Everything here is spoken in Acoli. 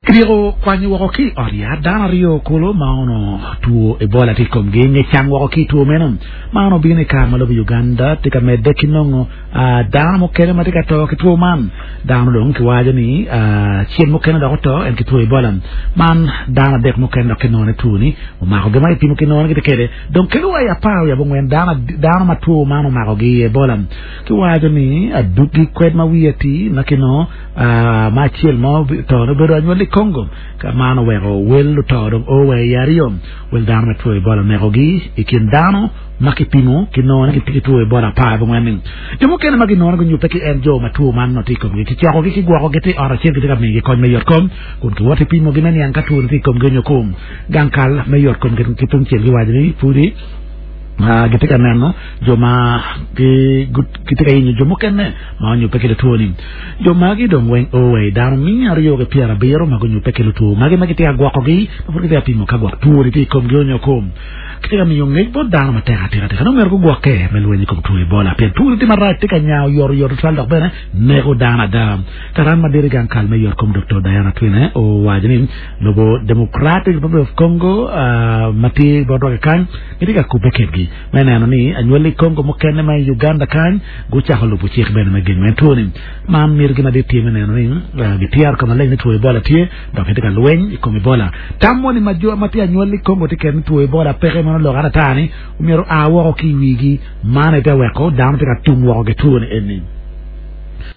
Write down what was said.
Kityeko kwanyo woko ki i ot yat dano aryo kulu ma onongo two Ebola tye i komgi nge cang woko ki i two meno. Man obino i kare ma lobo Uganda tye ka medde ki nongo dano mukene ma tye ka to ki two man. Dano dong kiwaco ni acel mukene dok oto en ki two Ebola. Man dano adek mukene dok kinongo ni two-ni omakogi ma kipimo kinongo ni gitye kwede. Dong kelo wa i apar wiye abongwen dano ma two man omakogi i Ebola. Kiwaco ni adwogi kwed ma wiye atir ma kinongo ma acel ma oto-ni obedo anywalli i Congo, ka man oweko wel luto dong o wa i aryo. Wel dano ma two Ebola onekogi i kin dano ma kipimo kinongo ni gitye ki two Ebola apar abongwen-ni. Jo mukene ma ginongo ni gunyubbe ki en jo ma two man nongo tye i komgi. Kicokogi, kigwokogi tye i ot acel kitye ka miyogi kony me yotkom kun kiwoto ki pimogi me niang ka two-ni tye i komgi nyo kom. Gang kal me yotkom ki tungcel giwaco ni pudi gitye ka neno jo ma gitye ka yenyo jo mukene ma onyubbe ki lutwo-ni. Jo magi dong weng o wa i dano miya aryo ki pyerabiro ma gunyubbe ki lutwo magi ma gitye ka gwokogi ma pud gitye ka pimo ka gwok two-ni tye i komgi onyo kom. Kitye ka miyo ngec bot dano matek atika tika ni omyero gugwokke me lweny i kom two Ebola pien two-ni tye marac tye ka nya oyotoyot tutwal dok bene neko dano ada. Karan madit i gang kal me yotkom Doktor Diana Twine owaco ni lobo Democratic Republic of Congo ma tye botwa kikany gitye ka kubbe kedgi me neno ni anywali Congo mukene ma i Uganda kany gucako lubo cik bene me gengo en two-ni. Man mitigi madit tye me neno ni gityero ka maleng ni two Ebola tye dok gitye ka lweny i kom Ebola. Tam moni ma jo ma tye anywali Congo tye kwede ni two Ebola peke meno lok atata ni myero oa woko ki i wigi. Man aye tye ka weko dano tye ka tum woko ki two-ni eni.